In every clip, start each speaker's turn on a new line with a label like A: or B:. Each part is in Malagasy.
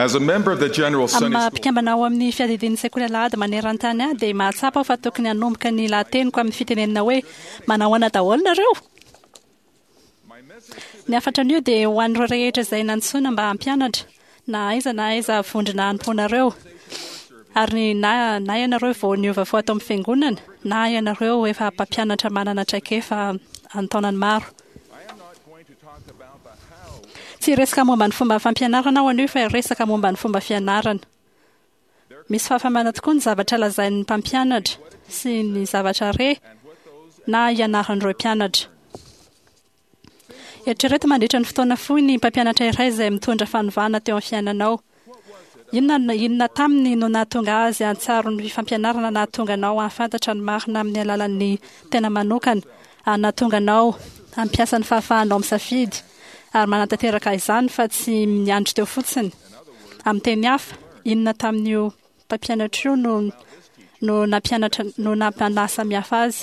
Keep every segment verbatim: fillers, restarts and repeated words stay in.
A: As a member of the General
B: Amin'ny
A: Sunday
B: maha
A: School
B: mpikambana ao amin'ny fiadidian'ny sekoly alahady maneran-tany ahy dia mahatsapa aho fa tokony hanomboka ny lahateniko amin'ny fitenenana hoe manao ahoana daholo nareo. Ny hafatra anio dia ho an'ireo rehetra izay nantsoina mba hampianatra na aiza na aiza vondrona hanompoanareo. Ary na, na ianareo vao niova fo ato amin'ny fiangonana na ianareo efa mpampianatra manana traikefa an-taonany maro. Tsy hiresaka momba ny fomba fampianarana aho anio fa hiresaka momba ny fomba fianarana. Misy fahafahamana tokoa ny zavatra lazain'ny mpampianatra sy ny zavatra re na ianaran'ireo mpianatra. Eritrereto mandritra ny fotoana fohy ny mpampianatra iray izay mitondra fanovana teo amin'ny fiainanao. Inona, inona taminy no nahatonga azy hahatsiaro ny fampianarana nahatonga anao hahafantatra ny marina amin'ny alalan'ny tena manokana ary nahatonga anao hampiasa ny fahafahanao misafidy ary manatanteraka izany fa tsy miandry teo fotsiny. Amin'ny teny hafa, inona tamin'io mpampianatra io no no nampianatra no nampanasamihafa azy?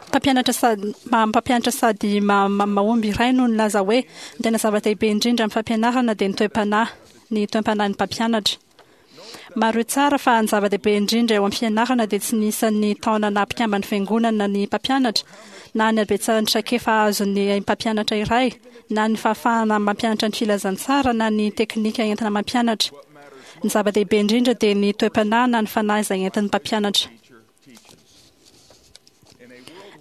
B: Mpampianatra sady mpampianatra sady mahomby iray no nilaza hoe ny tena zava-dehibe indrindra amin'ny fampianarana dia ny toe-panahy, ny toe-panahin'ny mpampianatra. Mariho tsara fa ny zava-dehibe indrindra eo amin'ny fianarana dia tsy ny isan'ny taona naha mpikamban'ny fiangonana ny mpampianatra, na ny habetsahan'ny traikefa azon'ny mpampianatra iray, na ny fahafahana mampianatra ny filazantsara na ny teknika entina mampianatra. Ny zava-dehibe indrindra dia ny toe-panahy na ny fanahy izay entin'ny mpampianatra.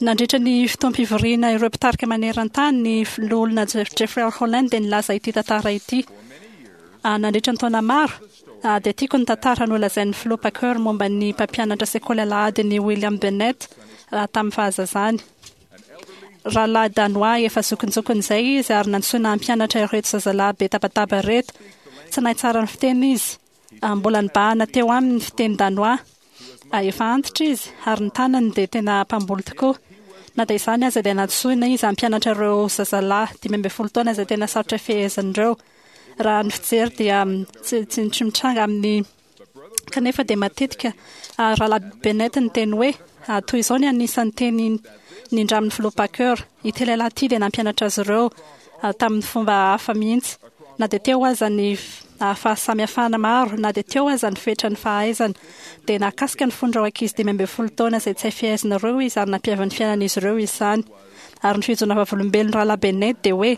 B: Nandritra ny fotoam-pivoriana ireo mpitarika maneran-tany, ny loholona Jeffrey R. Holland dia nilaza ity tantara ity. Nandritra ny taona maro, dia tiako ny tantara nolazain'ny filoha Packer momba ny mpampianatra sekoly alahadin'i William Bennett tamin'ny fahazazany. Rahalahy Danois efa zokinjokiny izay izy ary nantsoina hampianatra ireto zazalahy be tabataba ireto. Tsy nahay tsara ny fiteny izy. Mbola nibahana teo aminy ny fiteny Danois. Efa antitra izy ary ny tanany dia tena mpamboly tokoa. Na dia izany aza dia nantsoina izy hampianatra ireo zazalahy dimy ambin'ny folo taona izay tena sarotra fehezina ireo. Raha ny fijery dia tsy tsy mitranga amin'ny kanefa dia matetika Rahalahy Bennett niteny hoe toy izao ny anisan'ny teny nindramin'ny filoha Packer. Ity lehilahy ity dia nampianatra azy ireo tamin'ny fomba hafa mihitsy. Na dia teo aza ny fahasamihafana maro, na dia teo aza ny fetran'ny fahaizana, dia nahakasika ny fon'ireo ankizy dimy ambin'ny folo taona izay tsy hay fehezina ireo izy ary nampiavy ny fiainan'izy ireo izany. Ary ny fijoroana vavolombelon'ny Rahalahy Bennett dia hoe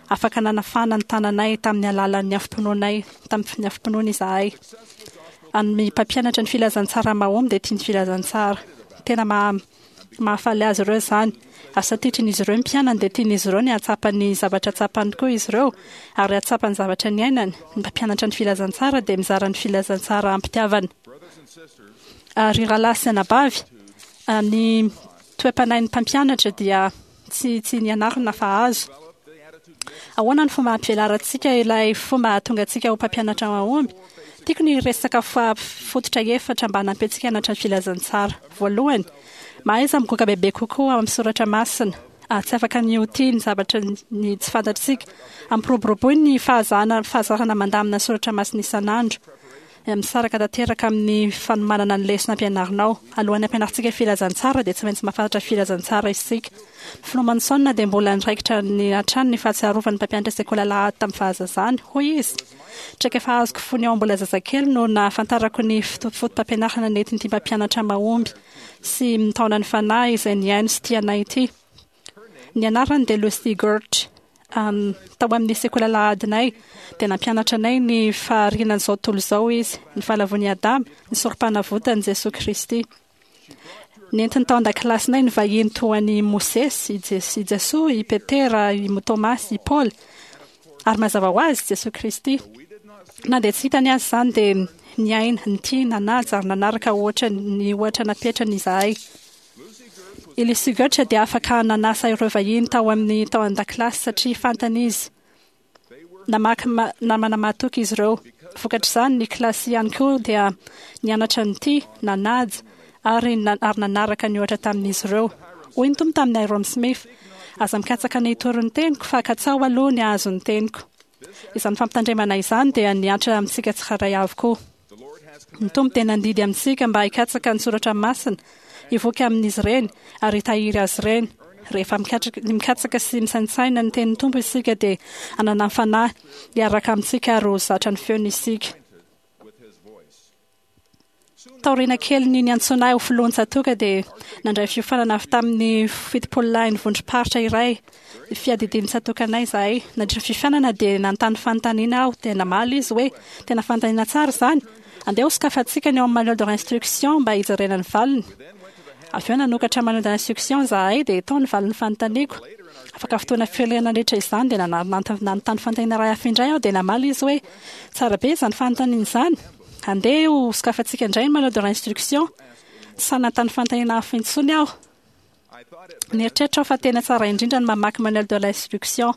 B: afaka nanafana ny tananay tamin'ny alalan'ny afom-pinoanay, tamin'ny afom-pinoana izahay. Ny mpampianatra ny filazantsara mahomby dia tia ny filazantsara. Tena maha mahafaly azy ireo izany. Ary satria tian'izy ireo ny mpianany dia tian'izy ireo ny hahatsapa ny zavatra tsapany koa izy ireo ary hahatsapa ny zavatra niainany. Ny mpampianatra ny filazantsara dia mizara ny filazantsara am-pitiavana. Ary rahalahy sy anabavy, ny toe-panahin'ny mpampianatra dia tsy tsy nianarana fa azo. Ahoana ny fomba hampivelarantsika ilay fomba hahatonga antsika ho mpampianatra mahomby? Tiako ny hiresaka fototra efatra mba hanampy antsika hianatra ny filazantsara. Voalohany, mahaiza migoka bebe kokoa ao amin'ny soratra masina. Tsy afaka ny ho tia ny zavatra ny tsy fantatsika. Ampiroboroboy ny fahazana fahazarana mandamina ny soratra masina isan'andro. Misaraka tanteraka amin'ny fanomanana ny lesona ampianarinao. Alohan'ny hampianarintsika filazantsara dia tsy maintsy mahafantatra filazantsara isika. Filoha Monson dia mbola niraikitra ny hatrany ny fahatsiarovan'ny mpampianatra sekoly alahady tamin'ny fahazazany. Hoy izy, Traikefa azoko fony aho mbola zazakely no nahafantarako ny foto-pampianarana nentin'ity mpampianatra mahomby sy mitaona ny fanahy izay nihaino sy tia anay ity. Ny anarany dia Lucy Gurch. Tao amin'ny sekoly alahadinay dia nampianatra anay ny faharianan'izao tontolo izao izy, ny fahalavoan'i Adama, ny sorompanavotan'i Jesoa Kristy. Nentiny tao an-dakilasinay ny vahiny toa an'i Mosesy, i Jesoa, i Petera, i Tomasy, i Paoly, ary mazava ho azy, Jesoa Kristy. Na dia tsy hitany aza izany dia niaina, nitia, nanaja ary nanaraka ohatra ny ohatra napetrany izahay. I Lucy Götsch dia afaka nanasa ireo vahiny tao amin'ny tao an-dakilasy satria fantany izy. Namaky namana mahatoky izy ireo. Vokatr'izany, ny kilasy ihany koa dia nianatra nitia, nanaja ary ary nanaraka ny ohatra tamin'izy ireo. Hoy ny Tompo tamin'i Hyrum Smith, Aza mikatsaka ny hitory ny teniko, fa katsaho aloha ny hahazo ny teniko. Izany fampitandremana izany dia nihatra amintsika tsirairay avy koa. Ny Tompo dia nandidy amintsika mba hikatsaka ny soratra masina, hivoky amin'izy ireny, ary hitahiry azy ireny. Rehefa mikatsaka sy misaintsaina ny tenin'ny Tompo isika dia hanana ny Fanahy hiaraka amintsika ary ho zatra ny feony isika. Taoriana kely ny niantsoana ahy ho filohan'ny tsatòka dia nandray fiofanana avy tamin'ny fitopololahin'ny vondrom-paritra iray fiadidian'ny tsatòkanay izahay. Nandritra ny fiofanana dia nanontany fanontaniana aho dia namaly izy hoe tena fanontaniana tsara izany. Andeha ho sokafantsika ny ao amin'ny manuel de instruction mba hijerena ny valiny. Avy eo nanokatra manuel de instruction izahay dia tao ny valin'ny fanontaniako. Afaka fotoana firy nandritra izany dia nanontany fanontaniana iray hafa indray aho dia namaly izy hoe tsara be izany fanontaniana izany. Andeha ho sokafantsika indray ny manuel de instruction. Tsy nanontany fanontaniana hafa intsony aho. Nieritreritra aho fa tena tsara indrindra ny mamaky manuel de l'instruction.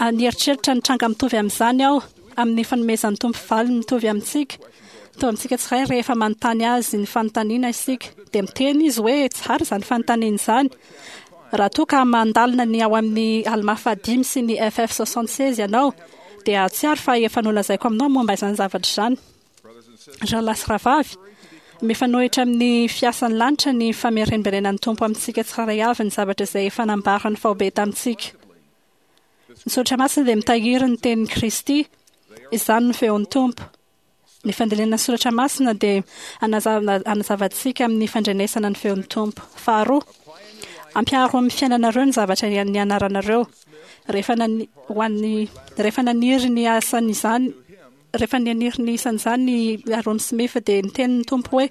B: Nieritreritra ny tranga mitovy amin'izany aho amin'ny fanomezan'ny Tompo valiny mitovy amintsika. Mitovy amintsika tsirairay rehefa manontany azy ny fanontaniana isika. Dia miteny izy hoe tsara izany fanontaniana izany. Raha toa ka mandalina ny ao amin'ny Alma fahadimy sy ny F F soixante-seize ianao, dia hahatsiaro fa efa nolazaiko aminao momba izany zavatra izany. Rahalahy sy rahavavy, mifanohitra amin'ny fiasan'ny lanitra ny famerimberenan'ny Tompo amintsika tsirairay avy ny zavatra izay efa nambarany faobe tamintsika. Ny Soratra Masina dia mitahiry ny tenin'i Kristy, izany no feon'ny Tompo. Ny fandalinana ny Soratra Masina dia hanazava antsika amin'ny fandrenesana ny feon'ny Tompo. Faharoa, ampiaro amin'ny fiainanareo ny zavatra nianaranareo. Rehefa nani-, ho an'ny, rehefa naniry ny asan'izany, rehefa naniry ny isan'izany i Hyrum Smith dia niteny ny Tompo hoe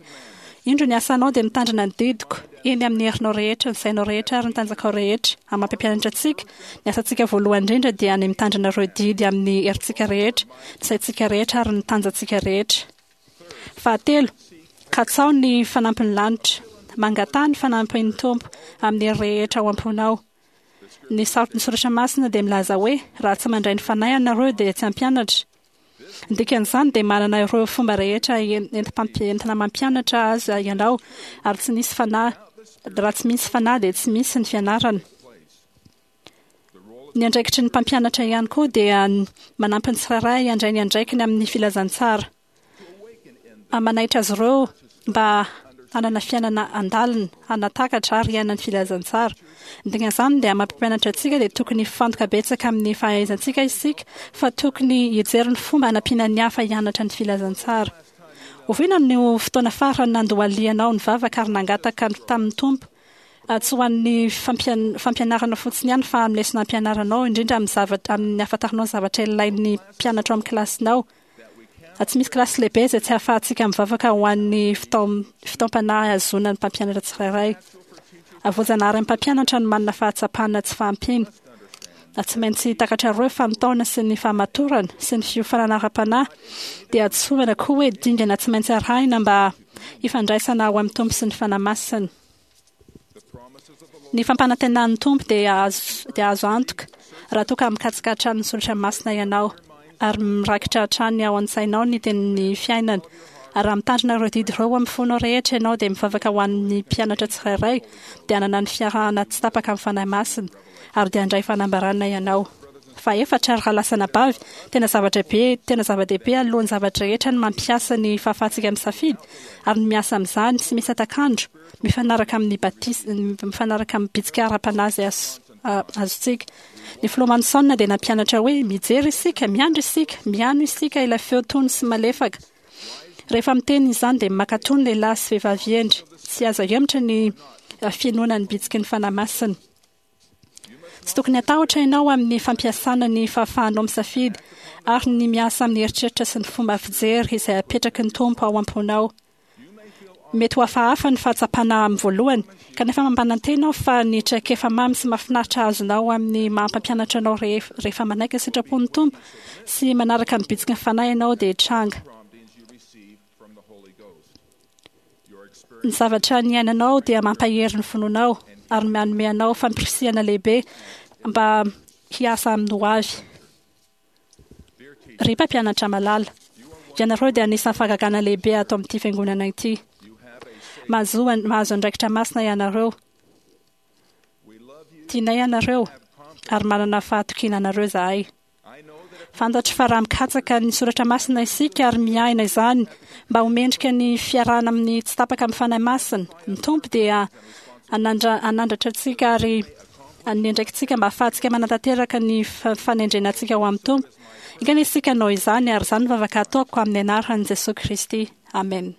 B: indro ny asanao dia mitandrina ny didiko, eny amin'ny herinao rehetra, ny sainao rehetra ary ny tanjakao rehetra. Amin'ny maha mpampianatra antsika, ny asantsika voalohany indrindra dia ny mitandrina ireo didy amin'ny herintsika rehetra, ny saintsika rehetra ary ny tanjantsika rehetra. Fahatelo, katsao ny fanampin'ny lanitra. Mangataha ny fanampin'ny Tompo amin'ny hery rehetra ao am-ponao. Ny sarotry ny Soratra Masina dia milaza hoe raha tsy mandray ny Fanahy ianareo dia tsy hampianatra. Ny dikan'izany dia manana ireo fomba rehetra entina mampianatra azy ianao, ary tsy nisy fanahy, raha tsy misy fanahy dia tsy misy ny fianarana. Ny andraikitry ny mpampianatra ihany koa dia manampy ny tsirairay handray ny andraikiny amin'ny filazantsara. Manaitra azy ireo mba hanana fiainana andalina, hanatakatra ary hiaina ny filazantsara. Ny dikan'izany dia mampampianatra antsika dia tokony hifantoka betsaka amin'ny fahaizantsika isika, fa tokony hijery ny fomba hanampiana ny hafa hianatra ny filazantsara. Oviana no fotoana farany nandohalianao nivavaka ary nangataka tamin'ny Tompo, tsy ho an'ny fampianarana fotsiny ihany fa amin'ny lesona ampianaranao, indrindra amin'ny zavatra, amin'ny ahafantaranao ny zavatra ilain'ny mpianatra ao amin'ny kilasinao? Tsy misy kilasy lehibe izay tsy ahafahantsika mivavaka ho an'ny fitaom-panahy ahazoana ny mpampianatra tsirairay. Voajanahary amin'ny mpampianatra ny manana fahatsapana tsy fahampiana. Tsy maintsy takatrareo fa ny taona sy ny fahamatorana sy ny fiofanana ara-panahy dia antsoina koa hoe dingana tsy maintsy arahina mba hifandraisana ao amin'ny Tompo sy ny Fanahy Masina. Ny fampanantenan'ny Tompo dia azo dia azo antoka raha toa ka mikatsaka hatrany ny Soratra Masina ianao ary mirakitra hatrany ao an-tsainao ny tenin'ny fiainana. Ary raha mitandrina ireo didy ireo amin'ny fonao rehetra ianao dia mivavaka ho an'ny mpianatra tsirairay, dia hanana ny fiarahana tsy tapaka amin'ny Fanahy Masina ary dia handray fanambarana ianao. Fahefatra, ry rahalahy sy anabavy, tena zavatra be, tena zava-dehibe alohan'ny zavatra rehetra ny mampiasa ny fahafahantsika misafidy ary ny miasa amin'izany tsy misy hatak'andro, mifanaraka amin'ny batisa, mifanaraka amin'ny bitsika ara-panahy izay azontsika. Ny filoha Monson dia nampianatra hoe mijery isika, miandry isika, mihaino isika ilay feo tony sy malefaka. Rehefa miteny izany dia mankatò ny lehilahy sy vehivavy hendry, tsy azo ahemotra ny finoana ny bitsiky ny Fanahy Masina. Tsy tokony hatahotra ianao amin'ny fampiasana ny fahafahanao misafidy ary ny miasa amin'ny eritreritra sy ny fomba fijery izay apetraky ny Tompo ao am-ponao. Mety ho hafahafa ny fahatsapana amin'ny voalohany, kanefa mampanantena aho fa ny traikefa mamy sy mahafinaritra azonao amin'ny maha-mpampianatra anao rehefa manaiky ny sitrapon'ny Tompo sy manaraka ny bitsiky ny Fanahy ianao dia hitranga. Ny zavatra niainanao dia mampahery ny finoanao ary manome anao fampirisihana lehibe mba hiasa amin'ny hoavy. Ry mpampianatra malala, ianareo dia anisan'ny fahagagana lehibe ato amin'ity fiangonana ity. Mahazo, mahazo andraikitra masina ianareo. Tianay ianareo ary manana fahatokiana anareo izahay. Fantatro fa raha mikatsaka ny soratra masina isika ary miaina izany mba ho mendrika ny fiarahana amin'ny tsy tapaka amin'ny Fanahy Masina, ny Tompo dia Hanandra- Hanandratra antsika ary ny andraikitsika mba ahafahantsika manatanteraka ny fa- fanendrena antsika ho amin'ny Tompo. Enga anie isika hanao izany, ary izany no vavaka ataoko amin'ny anaran'i Jesosy Kristy. Amen.